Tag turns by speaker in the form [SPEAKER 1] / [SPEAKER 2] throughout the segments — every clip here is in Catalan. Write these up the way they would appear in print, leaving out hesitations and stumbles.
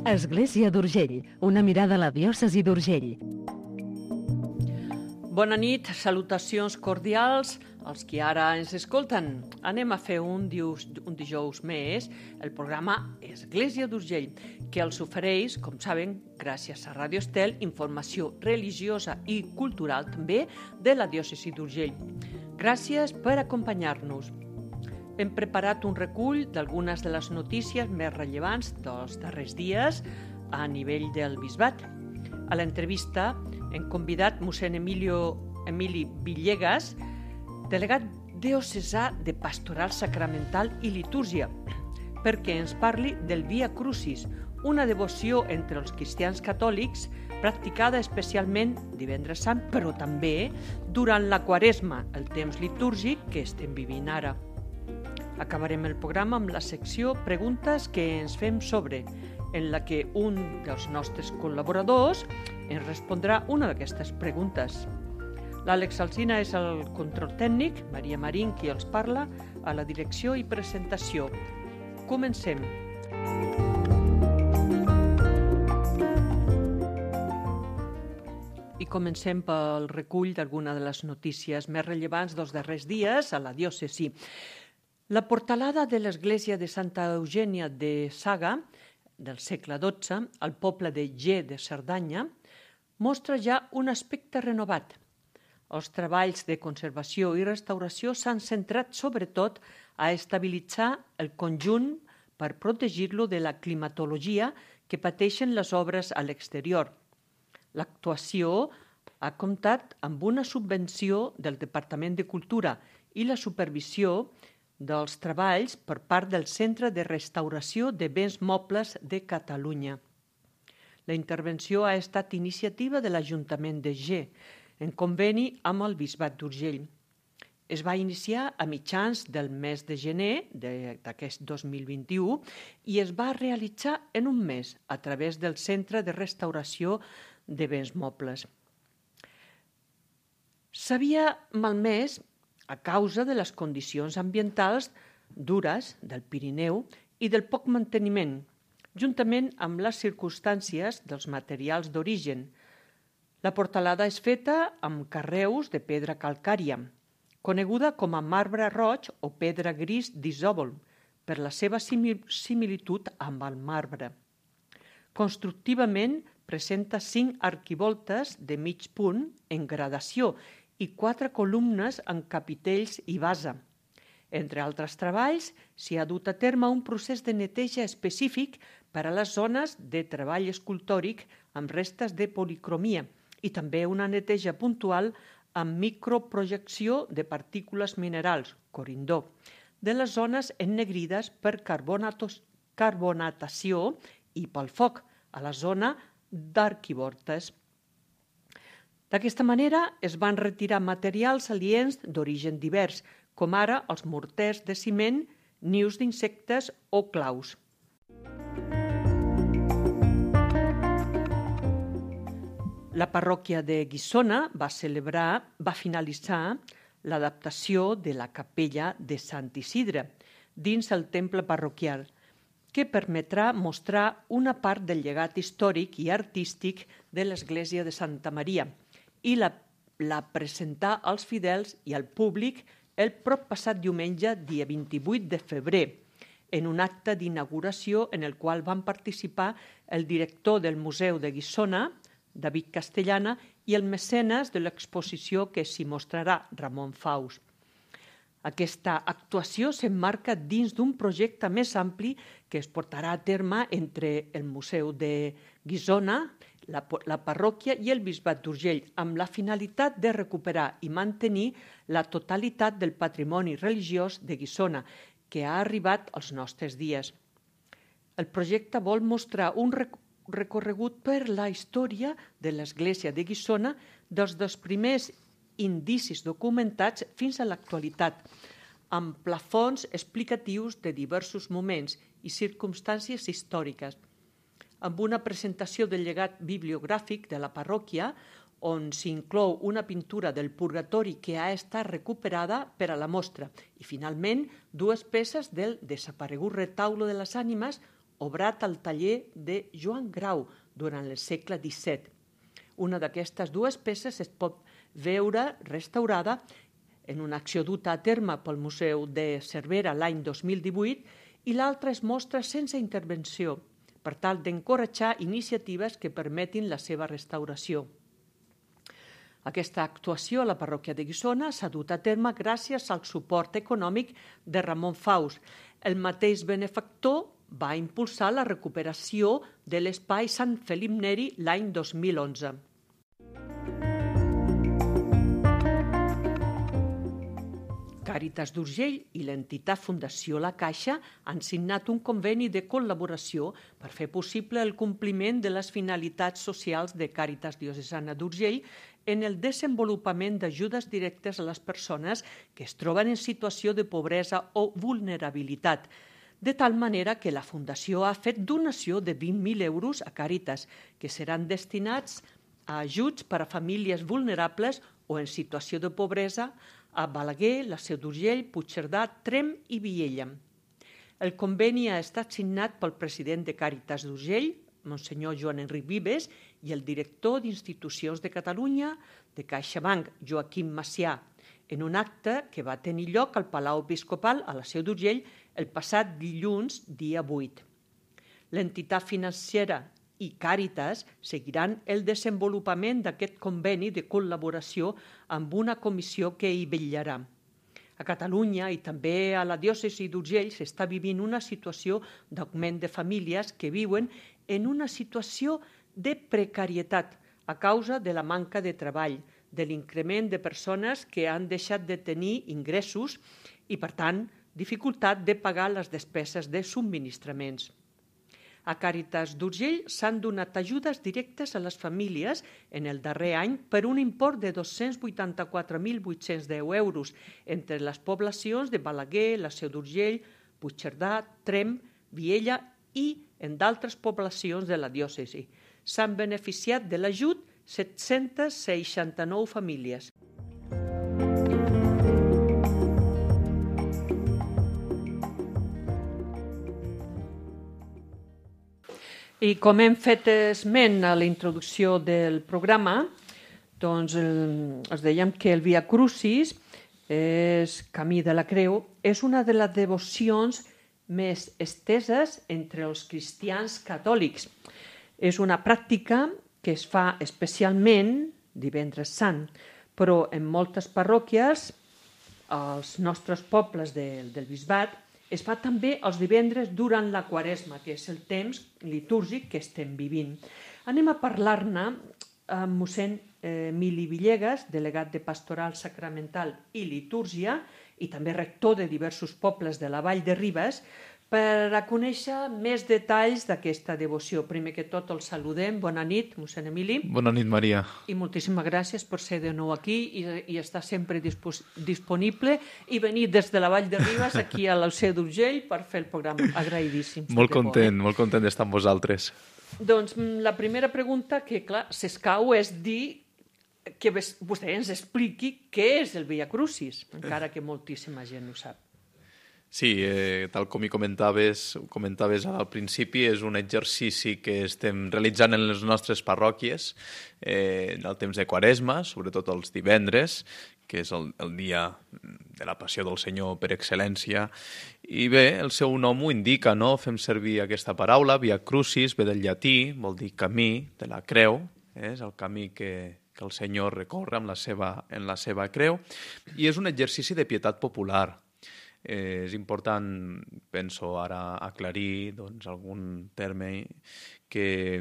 [SPEAKER 1] Església d'Urgell, una mirada a la diòcesi d'Urgell.
[SPEAKER 2] Bona nit, salutacions cordials als qui ara ens escolten. Anem a fer un dijous més el programa Església d'Urgell, que els ofereix, com saben, gràcies a Ràdio Estel, informació religiosa i cultural també de la diòcesi d'Urgell. Gràcies per acompanyar-nos. Hem preparat un recull d'algunes de les notícies més rellevants dels darrers dies a nivell del bisbat. A l'entrevista hem convidat mossèn Emili Villegas, delegat diocesà de Pastoral Sacramental i Litúrgia, perquè ens parli del Via Crucis, una devoció entre els cristians catòlics practicada especialment divendres sant, però també durant la Quaresma, el temps litúrgic que estem vivint ara. Acabarem el programa amb la secció Preguntes que ens fem sobre, en la que un dels nostres col·laboradors ens respondrà una d'aquestes preguntes. L'Àlex Alsina és el control tècnic, Maria Marín qui els parla, a la direcció i presentació. Comencem. I comencem pel recull d'alguna de les notícies més rellevants dels darrers dies a la diòcesi. La portalada de l'església de Santa Eugènia de Saga, del segle XII, al poble de Ge de Cerdanya, mostra ja un aspecte renovat. Els treballs de conservació i restauració s'han centrat sobretot a estabilitzar el conjunt per protegir-lo de la climatologia que pateixen les obres a l'exterior. L'actuació ha comptat amb una subvenció del Departament de Cultura i la supervisió dels treballs per part del Centre de Restauració de Béns Mobles de Catalunya. La intervenció ha estat iniciativa de l'Ajuntament de Ge, en conveni amb el Bisbat d'Urgell. Es va iniciar a mitjans del mes de gener d'aquest 2021 i es va realitzar en un mes a través del Centre de Restauració de Béns Mobles. S'havia malmès a causa de les condicions ambientals dures del Pirineu i del poc manteniment, juntament amb les circumstàncies dels materials d'origen. La portalada és feta amb carreus de pedra calcària, coneguda com a marbre roig o pedra gris d'isòvol, per la seva similitud amb el marbre. Constructivament presenta 5 arquivoltes de mig punt en gradació i 4 columnes en capitells i base. Entre altres treballs, s'hi ha dut a terme un procés de neteja específic per a les zones de treball escultòric amb restes de policromia i també una neteja puntual amb microprojecció de partícules minerals, corindó, de les zones ennegrides per carbonatació i pel foc a la zona d'arquivoltes. D'aquesta manera es van retirar materials aliens d'origen divers, com ara els morters de ciment, nius d'insectes o claus. La parròquia de Guissona va finalitzar l'adaptació de la capella de Sant Isidre dins el temple parroquial, que permetrà mostrar una part del llegat històric i artístic de l'església de Santa Maria, i la presentar als fidels i al públic el proppassat diumenge, dia 28 de febrer, en un acte d'inauguració en el qual van participar el director del Museu de Guissona, David Castellana, i el mecenes de l'exposició que s'hi mostrarà, Ramon Faus. Aquesta actuació s'emmarca dins d'un projecte més ampli que es portarà a terme entre el Museu de Guissona, la parròquia i el Bisbat d'Urgell, amb la finalitat de recuperar i mantenir la totalitat del patrimoni religiós de Guissona, que ha arribat als nostres dies. El projecte vol mostrar un recorregut per la història de l'església de Guissona des dels primers indicis documentats fins a l'actualitat, amb plafons explicatius de diversos moments i circumstàncies històriques, amb una presentació del llegat bibliogràfic de la parròquia, on s'inclou una pintura del Purgatori que ha estat recuperada per a la mostra, i finalment 2 peces del desaparegut Retaule de les Ànimes, obrat al taller de Joan Grau durant el segle XVII. Una d'aquestes dues peces es pot veure restaurada en una acció duta a terme pel Museu de Cervera l'any 2018 i l'altra es mostra sense intervenció, per tal d'encoratjar iniciatives que permetin la seva restauració. Aquesta actuació a la parròquia de Guissona s'ha dut a terme gràcies al suport econòmic de Ramon Faus. El mateix benefactor va impulsar la recuperació de l'espai Sant Felip Neri l'any 2011. Càritas d'Urgell i l'entitat Fundació La Caixa han signat un conveni de col·laboració per fer possible el compliment de les finalitats socials de Càritas Diocesana d'Urgell en el desenvolupament d'ajudes directes a les persones que es troben en situació de pobresa o vulnerabilitat, de tal manera que la Fundació ha fet donació de 20.000 euros a Càritas, que seran destinats a ajuts per a famílies vulnerables o en situació de pobresa a Balaguer, la Seu d'Urgell, Puigcerdà, Tremp i Viella. El conveni ha estat signat pel president de Càritas d'Urgell, Monsenyor Joan Enric Vives, i el director d'Institucions de Catalunya de CaixaBank, Joaquim Macià, en un acte que va tenir lloc al Palau Episcopal a la Seu d'Urgell el passat dilluns, dia 8. L'entitat financera i Càritas seguiran el desenvolupament d'aquest conveni de col·laboració amb una comissió que hi vetllarà. A Catalunya i també a la diòcesi d'Urgell s'està vivint una situació d'augment de famílies que viuen en una situació de precarietat a causa de la manca de treball, de l'increment de persones que han deixat de tenir ingressos i, per tant, dificultat de pagar les despeses de subministraments. A Càritas d'Urgell s'han donat ajudes directes a les famílies en el darrer any per un import de 284.810 euros entre les poblacions de Balaguer, la Seu d'Urgell, Puigcerdà, Tremp, Viella i en d'altres poblacions de la diòcesi. S'han beneficiat de l'ajut 769 famílies. I com hem fet esment a la introducció del programa, doncs els dèiem que el Via Crucis, és Camí de la Creu, és una de les devocions més esteses entre els cristians catòlics. És una pràctica que es fa especialment divendres sant, però en moltes parròquies, als nostres pobles del bisbat, es fa també els divendres durant la Quaresma, que és el temps litúrgic que estem vivint. Anem a parlar-ne amb mossèn Emili Villegas, delegat de Pastoral Sacramental i Litúrgia i també rector de diversos pobles de la Vall de Ribes, per a conèixer més detalls d'aquesta devoció. Primer que tot el saludem. Bona nit, mossèn Emili.
[SPEAKER 3] Bona nit, Maria.
[SPEAKER 2] I moltíssimes gràcies per ser de nou aquí i estar sempre disponible i venir des de la Vall de Ribes aquí a la Seu d'Urgell per fer el programa. Agraïdíssim.
[SPEAKER 3] Molt content d'estar amb vosaltres.
[SPEAKER 2] Doncs la primera pregunta que, clar, s'escau és dir que vostè ens expliqui què és el Via Crucis, encara que moltíssima gent ho sap.
[SPEAKER 3] Sí, tal com hi comentaves al principi, és un exercici que estem realitzant en les nostres parròquies en el temps de Quaresma, sobretot els divendres, que és el dia de la Passió del Senyor per excel·lència. I bé, el seu nom ho indica, no? Fem servir aquesta paraula, Via Crucis, ve del llatí, vol dir camí de la creu, és el camí que el Senyor recorre en la seva creu, i és un exercici de pietat popular. És important, penso ara, aclarir algun terme que,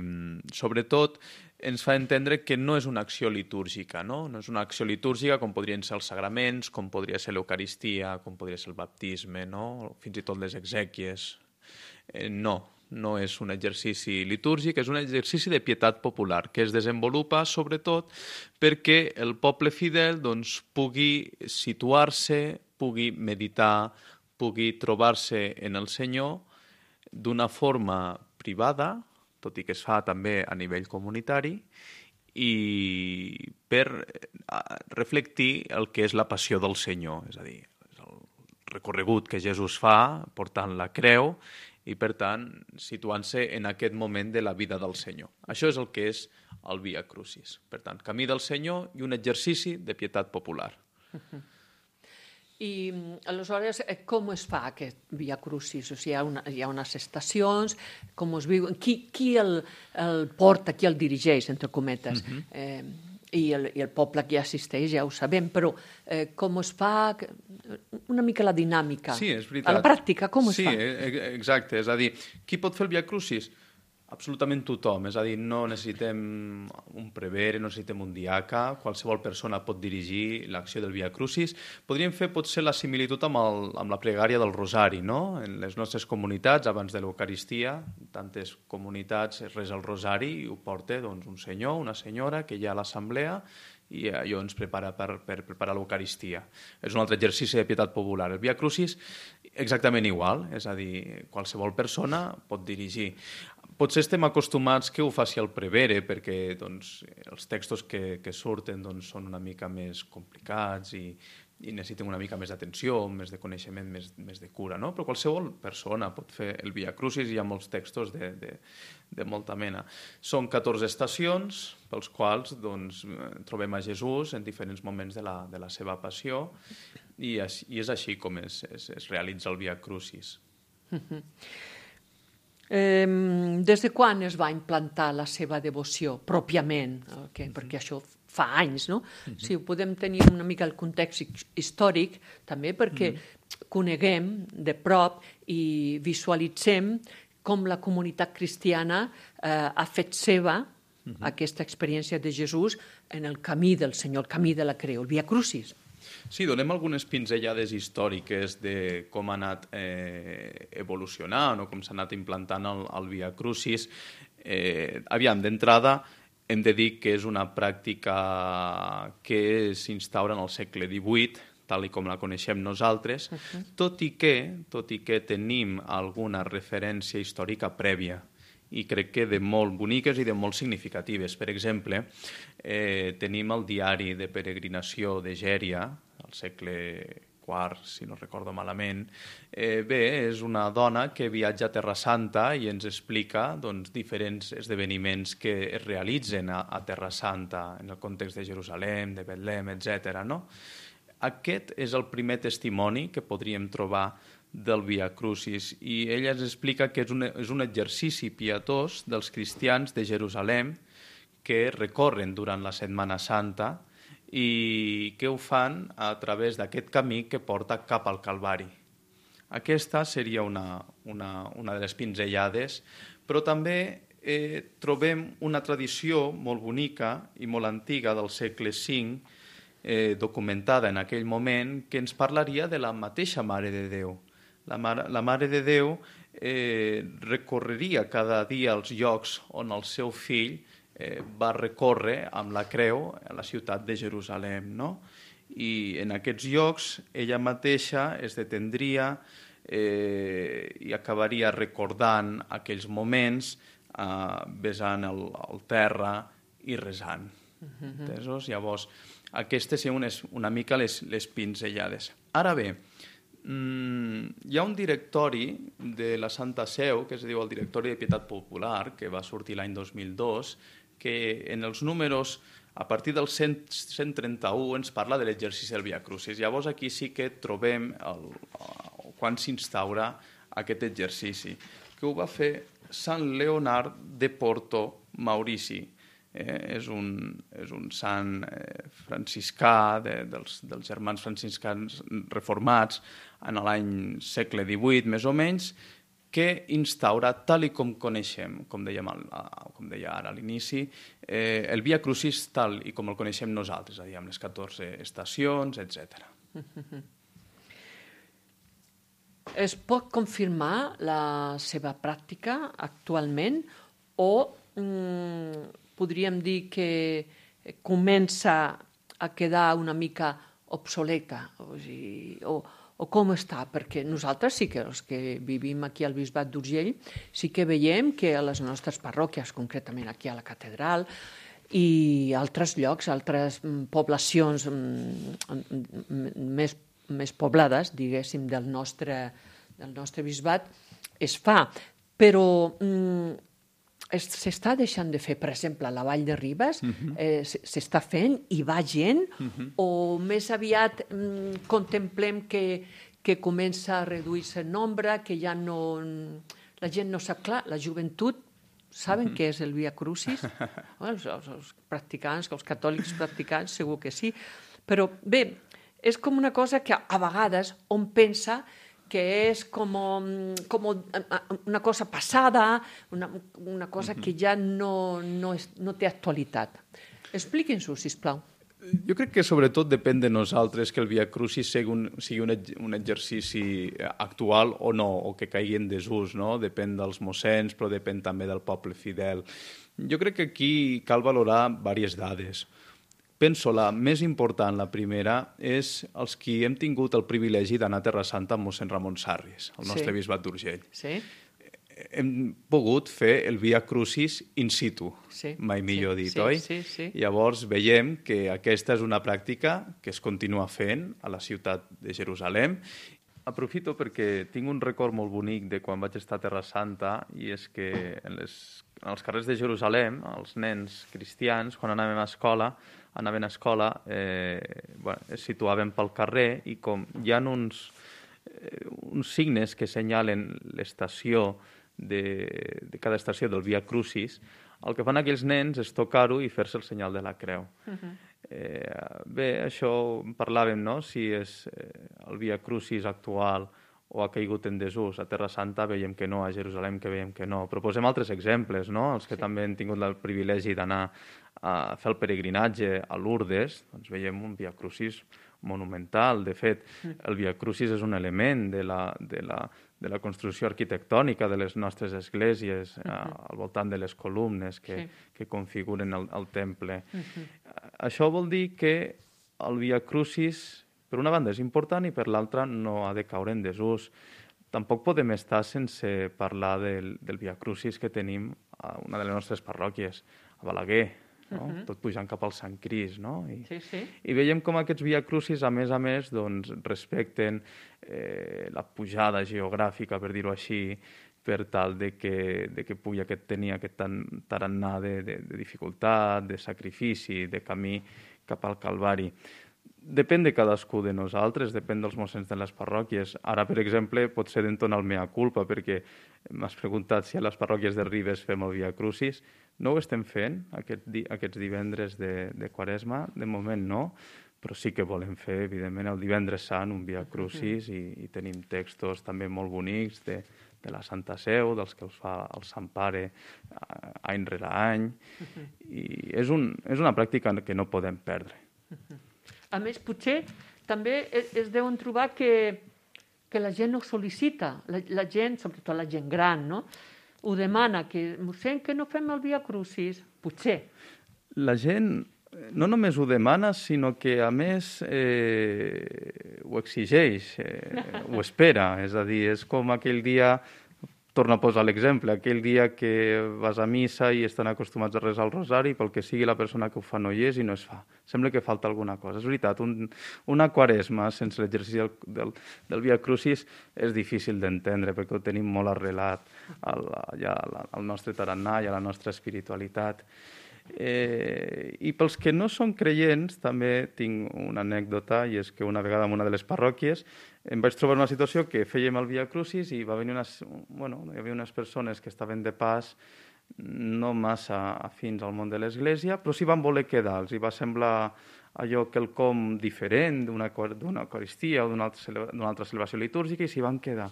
[SPEAKER 3] sobretot, ens fa entendre que no és una acció litúrgica, no? No és una acció litúrgica com podrien ser els sagraments, com podria ser l'Eucaristia, com podria ser el baptisme, no? Fins i tot les exèquies. No és un exercici litúrgic, és un exercici de pietat popular que es desenvolupa sobretot perquè el poble fidel pugui situar-se, pugui meditar, pugui trobar-se en el Senyor d'una forma privada, tot i que es fa també a nivell comunitari, i per reflectir el que és la passió del Senyor, és a dir, el recorregut que Jesús fa portant la creu i, per tant, situant-se en aquest moment de la vida del Senyor. Això és el que és el Via Crucis. Per tant, camí del Senyor i un exercici de pietat popular.
[SPEAKER 2] I, aleshores, com es fa aquest Via Crucis? O sigui, hi ha unes estacions, com es viu? Qui el porta, qui el dirigeix, entre cometes? I el poble que hi assisteix, ja ho sabem, però com es fa? Una mica la dinàmica.
[SPEAKER 3] Sí, és veritat.
[SPEAKER 2] A la pràctica, com es fa?
[SPEAKER 3] Sí, exacte. És a dir, qui pot fer el Via Crucis? Absolutament tothom. És a dir, no necessitem un prevere, no necessitem un diaca, qualsevol persona pot dirigir l'acció del Via Crucis. Podríem fer potser la similitud amb la pregària del Rosari, no? En les nostres comunitats, abans de l'Eucaristia, tantes comunitats es resa el Rosari i ho porta doncs, un senyor, una senyora que hi ha a l'assemblea i allò ens prepara per preparar l'Eucaristia. És un altre exercici de pietat popular. El Via Crucis, exactament igual, és a dir, qualsevol persona pot dirigir. Potser estem acostumats que ho faci el prevere perquè doncs, els textos que surten doncs, són una mica més complicats i necessiten una mica més d'atenció, més de coneixement, més de cura, no? Però qualsevol persona pot fer el Via Crucis i hi ha molts textos de molta mena. Són 14 estacions pels quals doncs, trobem a Jesús en diferents moments de la seva passió i és així com es realitza el Via Crucis.
[SPEAKER 2] Des de quan es va implantar la seva devoció, pròpiament? Perquè això fa anys, no? Si ho podem tenir una mica el context històric, també perquè coneguem de prop i visualitzem com la comunitat cristiana ha fet seva aquesta experiència de Jesús en el camí del Senyor, el camí de la creu, el Via Crucis.
[SPEAKER 3] Sí, donem algunes pinzellades històriques de com ha anat evolucionant o com s'ha anat implantant el Via Crucis. Aviam, d'entrada, hem de dir que és una pràctica que s'instaura en el segle XVIII, tal com la coneixem nosaltres, tot i que tenim alguna referència històrica prèvia i crec que de molt boniques i de molt significatives. Per exemple, tenim el diari de peregrinació de Gèria, al segle IV, si no recordo malament. Bé, és una dona que viatja a Terra Santa i ens explica doncs, diferents esdeveniments que es realitzen a Terra Santa en el context de Jerusalem, de Betlem, etc. No? Aquest és el primer testimoni que podríem trobar del Via Crucis i ella ens explica que és un exercici pietós dels cristians de Jerusalem que recorren durant la Setmana Santa i que ho fan a través d'aquest camí que porta cap al Calvari. Aquesta seria una de les pinzellades, però també trobem una tradició molt bonica i molt antiga del segle V, documentada en aquell moment, que ens parlaria de la mateixa Mare de Déu. La Mare de Déu recorreria cada dia als llocs on el seu fill va recórrer amb la creu a la ciutat de Jerusalem. No? I en aquests llocs ella mateixa es detendria i acabaria recordant aquells moments besant el terra i resant. Entesos? Llavors, aquestes són una mica les pinzellades. Ara bé, hi ha un directori de la Santa Seu, que es diu el Directori de Pietat Popular, que va sortir l'any 2002, que en els números, a partir del 131, ens parla de l'exercici del Via Crucis. Llavors aquí sí que trobem quan s'instaura aquest exercici, que ho va fer Sant Leonard de Porto Maurici. És un sant franciscà dels germans franciscans reformats en l'any segle XVIII, més o menys, que instaura, tal com coneixem, com deia ara a l'inici, el Via Crucis tal com el coneixem nosaltres, amb les 14 estacions, etc.
[SPEAKER 2] Es pot confirmar la seva pràctica actualment o podríem dir que comença a quedar una mica obsoleta? O com està? Perquè nosaltres sí que els que vivim aquí al Bisbat d'Urgell sí que veiem que a les nostres parròquies, concretament aquí a la catedral i altres llocs, altres poblacions més poblades, diguéssim, del nostre bisbat, es fa, però s'està deixant de fer, per exemple, a la Vall de Ribes, s'està fent i va gent, o més aviat contemplem que comença a reduir-se el nombre, que ja no... La gent no sap clar, la joventut saben què és el Via Crucis? Els practicants, els catòlics practicants, segur que sí. Però bé, és com una cosa que a vegades hom pensa que és com una cosa passada, una cosa que ja no té actualitat. Expliqui'ns-ho, sisplau.
[SPEAKER 3] Jo crec que sobretot depèn de nosaltres que el Via Crucis sigui un exercici actual o no, o que caigui en desús, no? Depèn dels mossens, però depèn també del poble fidel. Jo crec que aquí cal valorar diverses dades. Penso la més important, la primera, és els qui hem tingut el privilegi d'anar a Terra Santa amb mossèn Ramon Sarris, el nostre bisbat d'Urgell.
[SPEAKER 2] Sí.
[SPEAKER 3] Hem pogut fer el Via Crucis in situ, mai millor dit, oi?
[SPEAKER 2] Sí.
[SPEAKER 3] Llavors veiem que aquesta és una pràctica que es continua fent a la ciutat de Jerusalem. Aprofito perquè tinc un record molt bonic de quan vaig estar a Terra Santa, i és que en els carrers de Jerusalem, els nens cristians, quan anaven a escola, es situaven pel carrer, i com hi ha uns signes que senyalen l'estació de cada estació del Via Crucis, el que fan aquells nens és tocar-ho i fer-se el senyal de la creu. Bé, això parlàvem, no?, si és el Via Crucis actual o ha caigut en desús. A Terra Santa veiem que no, a Jerusalem que veiem que no. Però posem altres exemples, no?, els que també han tingut el privilegi d'anar a fer el peregrinatge a Lourdes, doncs veiem un Via Crucis monumental. De fet, el Via Crucis és un element de la construcció arquitectònica de les nostres esglésies, al voltant de les columnes que configuren el temple. Això vol dir que el Via Crucis, per una banda, és important i per l'altra no ha de caure en desús. Tampoc podem estar sense parlar del Via Crucis que tenim a una de les nostres parròquies, a Balaguer, no? Tot pujant cap al Sant Crist, no? I veiem com aquests Via Crucis, a més, doncs, respecten la pujada geogràfica, per dir-ho així, per tal de que pugui tenir aquest tarannà de dificultat, de sacrifici, de camí cap al Calvari. Depèn de cadascú de nosaltres, depèn dels mossens de les parròquies. Ara, per exemple, potser d'entonar el mea culpa, perquè m'has preguntat si a les parròquies de Ribes fem el Via Crucis. No ho estem fent aquests divendres de Quaresma, de moment no, però sí que volem fer, evidentment, el divendres sant, un Via Crucis, i tenim textos també molt bonics de la Santa Seu, dels que els fa el Sant Pare any rere any, i és una pràctica que no podem perdre.
[SPEAKER 2] A més, potser també es deuen trobar que la gent ho sol·licita, la gent, sobretot la gent gran, no?, ho demana, que mossèn, que no fem el Via Crucis, potser.
[SPEAKER 3] La gent no només ho demana, sinó que, a més, ho exigeix, ho espera. És a dir, és com aquell dia, torno a posar l'exemple, aquell dia que vas a missa i estan acostumats a resar el rosari, pel que sigui la persona que ho fa no hi és i no es fa. Sembla que falta alguna cosa. És veritat, una Quaresma sense l'exercici del Via Crucis és difícil d'entendre, perquè ho tenim molt arrelat al nostre tarannà i a la nostra espiritualitat. I pels que no són creients també tinc una anècdota, i és que una vegada en una de les parròquies em vaig trobar una situació que fèiem el Via Crucis i hi havia unes persones que estaven de pas no massa afins al món de l'Església, però s'hi van voler quedar, els hi va semblar allò quelcom diferent d'una Eucaristia o d'una altra celebració litúrgica, i s'hi van quedar.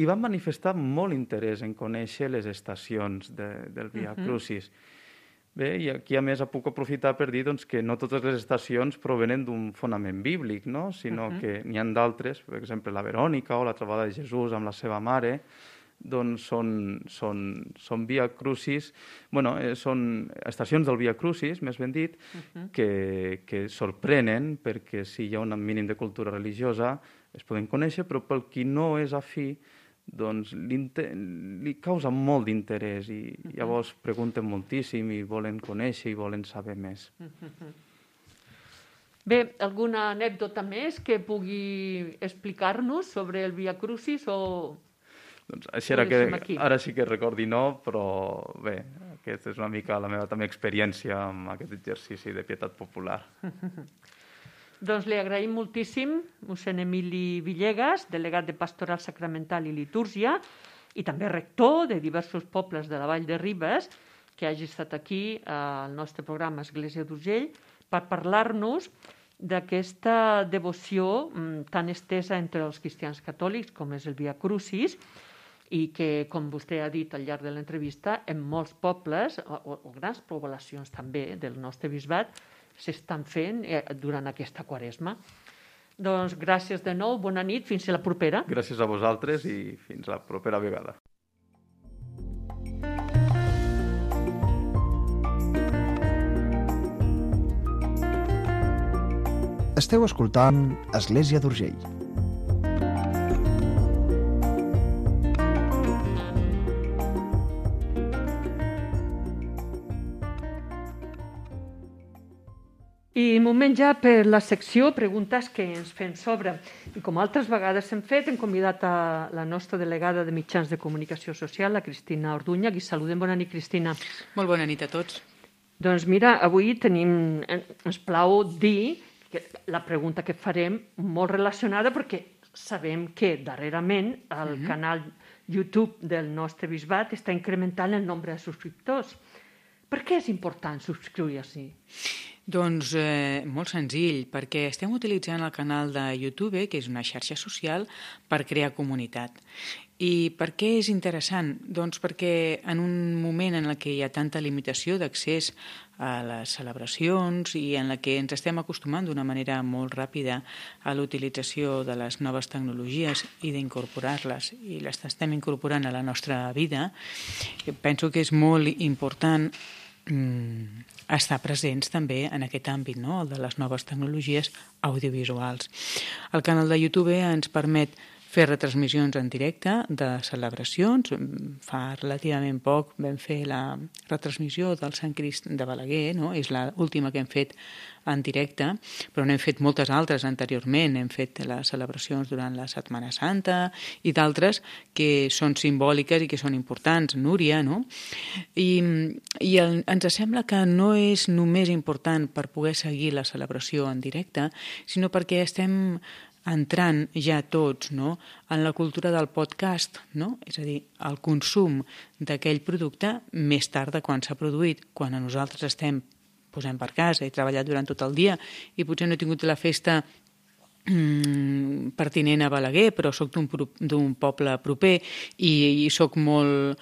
[SPEAKER 3] I van manifestar molt interès en conèixer les estacions del Via Crucis. Bé, i aquí a més puc aprofitar per dir que no totes les estacions provenen d'un fonament bíblic, no?, sinó que n'hi ha d'altres, per exemple la Verònica o la trobada de Jesús amb la seva mare, doncs són Via Crucis, són estacions del Via Crucis, més ben dit, que sorprenen perquè si hi ha un mínim de cultura religiosa es poden conèixer, però pel qui no és afí, doncs li causa molt d'interès i llavors pregunten moltíssim i volen conèixer i volen saber més.
[SPEAKER 2] Bé, alguna anècdota més que pugui explicar-nos sobre el Via Crucis o
[SPEAKER 3] Doncs això ara sí que recordi no, però bé, aquesta és una mica la meva també experiència amb aquest exercici de pietat popular.
[SPEAKER 2] Doncs li agraïm moltíssim mossèn Emili Villegas, delegat de Pastoral Sacramental i Litúrgia, i també rector de diversos pobles de la Vall de Ribes, que hagi estat aquí al nostre programa Església d'Urgell per parlar-nos d'aquesta devoció tan estesa entre els cristians catòlics com és el Via Crucis i que, com vostè ha dit al llarg de l'entrevista, en molts pobles o grans poblacions també del nostre bisbat s'estan fent durant aquesta Quaresma. Doncs gràcies de nou, bona nit, fins a la propera.
[SPEAKER 3] Gràcies a vosaltres i fins la propera vegada.
[SPEAKER 4] Esteu escoltant Església d'Urgell.
[SPEAKER 2] I moment ja per la secció Preguntes que ens fem sobre. I com altres vegades hem fet, hem convidat a la nostra delegada de mitjans de comunicació social, la Cristina Orduña. Aquí saludem. Bona nit, Cristina.
[SPEAKER 5] Molt bona nit a tots.
[SPEAKER 2] Doncs mira, avui ens plau dir que la pregunta que farem molt relacionada perquè sabem que darrerament el canal YouTube del nostre bisbat està incrementant el nombre de subscriptors. Per què és important subscriure-s'hi?
[SPEAKER 5] Doncs molt senzill, perquè estem utilitzant el canal de YouTube, que és una xarxa social, per crear comunitat. I per què és interessant? Doncs perquè en un moment en què hi ha tanta limitació d'accés a les celebracions i en la que ens estem acostumant d'una manera molt ràpida a l'utilització de les noves tecnologies i d'incorporar-les, i les estem incorporant a la nostra vida, penso que és molt important estar presents també en aquest àmbit, no? El de les noves tecnologies audiovisuals. El canal de YouTube ens permet fer retransmissions en directe de celebracions. Fa relativament poc vam fer la retransmissió del Sant Crist de Balaguer, no? És l'última que hem fet en directe, però n'hem fet moltes altres anteriorment. Hem fet les celebracions durant la Setmana Santa i d'altres que són simbòliques i que són importants, Núria, no? I ens sembla que no és només important per poder seguir la celebració en directe, sinó perquè estem entrant ja tots, no?, en la cultura del podcast, no? És a dir, el consum d'aquell producte més tard de quan s'ha produït, quan nosaltres estem posem per casa, he treballat durant tot el dia i potser no he tingut la festa pertinent a Balaguer, però soc d'un poble proper i soc molt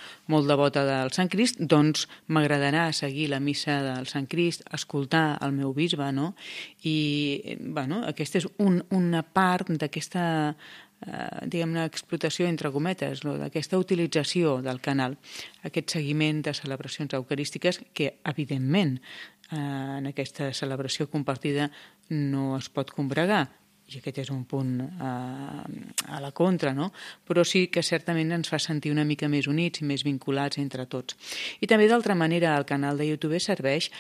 [SPEAKER 5] devota del Sant Crist, doncs m'agradarà seguir la missa del Sant Crist, escoltar el meu bisbe, no? I, bueno, aquesta és una part d'aquesta diguem-ne, explotació entre cometes, d'aquesta utilització del canal, aquest seguiment de celebracions eucarístiques que, evidentment, en aquesta celebració compartida no es pot combregar, i aquest és un punt a la contra, no? Però sí que certament ens fa sentir una mica més units i més vinculats entre tots. I també, d'altra manera, el canal de YouTube serveix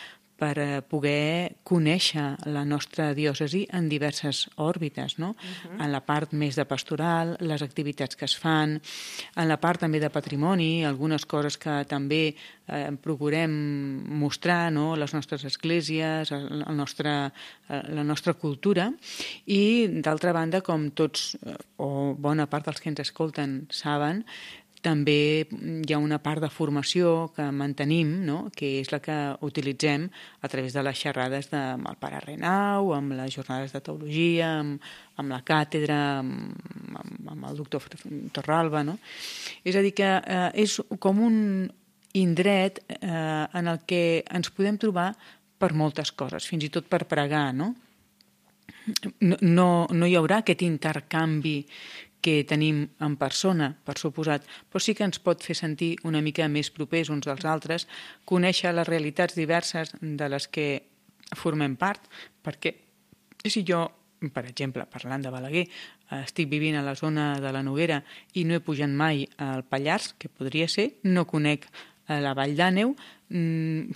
[SPEAKER 5] per poder conèixer la nostra diòcesi en diverses òrbites, no? En la part més de pastoral, les activitats que es fan, en la part també de patrimoni, algunes coses que també procurem mostrar, no? Les nostres esglésies, la nostra cultura, i d'altra banda, com tots o bona part dels que ens escolten saben, també hi ha una part de formació que mantenim, no?, que és la que utilitzem a través de les xerrades amb el pare Renau, amb les jornades de teologia, amb la càtedra, amb el doctor Torralba, no? És a dir, que és com un indret en el que ens podem trobar per moltes coses, fins i tot per pregar, no? No hi haurà aquest intercanvi que tenim en persona, per suposat, però sí que ens pot fer sentir una mica més propers uns dels altres, conèixer les realitats diverses de les que formem part, perquè si jo, per exemple, parlant de Balaguer, estic vivint a la zona de la Noguera i no he pujat mai al Pallars, que podria ser, no conec la Vall d'Àneu,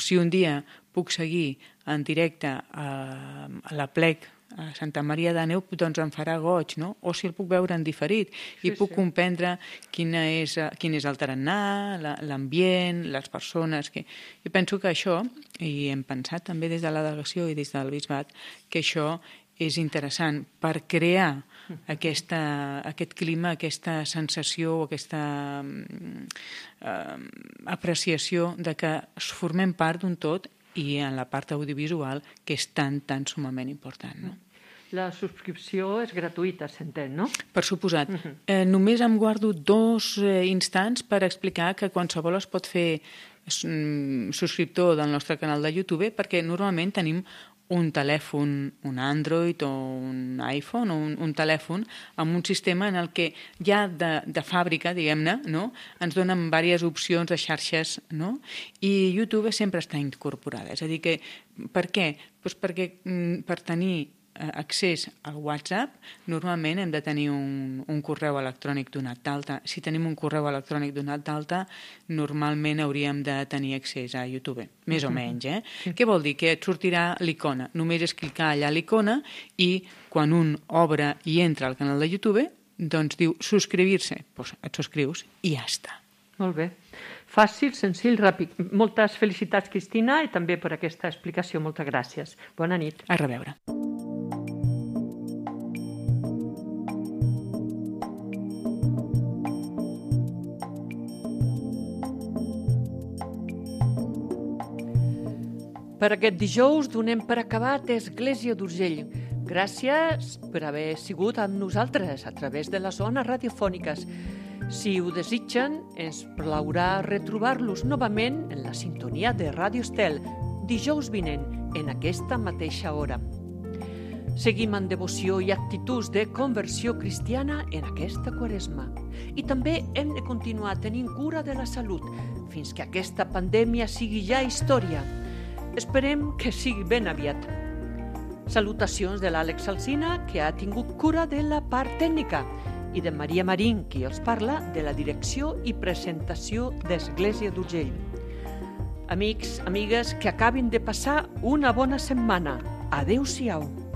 [SPEAKER 5] si un dia puc seguir en directe a la plec a Santa Maria d'Àneu, doncs em farà goig, no? O si el puc veure en diferit i puc comprendre quin és el tarannà, l'ambient, les persones. Jo penso que això, i hem pensat també des de la delegació i des del bisbat, que això és interessant per crear aquest clima, aquesta sensació, aquesta apreciació de que formem part d'un tot i en la part audiovisual, que és tan sumament important, no?
[SPEAKER 2] La subscripció és gratuïta, s'entén, no?
[SPEAKER 5] Per suposat. Només em guardo 2 instants per explicar que qualsevol es pot fer subscriptor del nostre canal de YouTube, perquè normalment tenim un telèfon, un Android o un iPhone, o un telèfon amb un sistema en el que ja de fàbrica, diguem-ne, no? Ens donen diverses opcions de xarxes, no? I YouTube sempre està incorporada. És a dir, que per què? Doncs perquè per tenir accés al WhatsApp, normalment hem de tenir un correu electrònic donat d'alta. Si tenim un correu electrònic donat d'alta, normalment hauríem de tenir accés a YouTube, més o menys. Què vol dir? Que et sortirà l'icona. Només és clicar allà a l'icona i quan un obre i entra al canal de YouTube, doncs diu subscriure-se. Doncs et subscrius i ja està.
[SPEAKER 2] Molt bé. Fàcil, senzill, ràpid. Moltes felicitats, Cristina, i també per aquesta explicació. Moltes gràcies. Bona nit.
[SPEAKER 5] A reveure.
[SPEAKER 2] Per aquest dijous donem per acabat Església d'Urgell. Gràcies per haver sigut amb nosaltres a través de les zones radiofòniques. Si ho desitgen, ens plaurà retrobar-los novament en la sintonia de Ràdio Estel, dijous vinent, en aquesta mateixa hora. Seguim amb devoció i actituds de conversió cristiana en aquesta Quaresma. I també hem de continuar tenint cura de la salut fins que aquesta pandèmia sigui ja història. Esperem que sigui ben aviat. Salutacions de l'Àlex Alsina, que ha tingut cura de la part tècnica, i de Maria Marín, qui els parla de la direcció i presentació d'Església d'Urgell. Amics, amigues, que acabin de passar una bona setmana. Adéu-siau.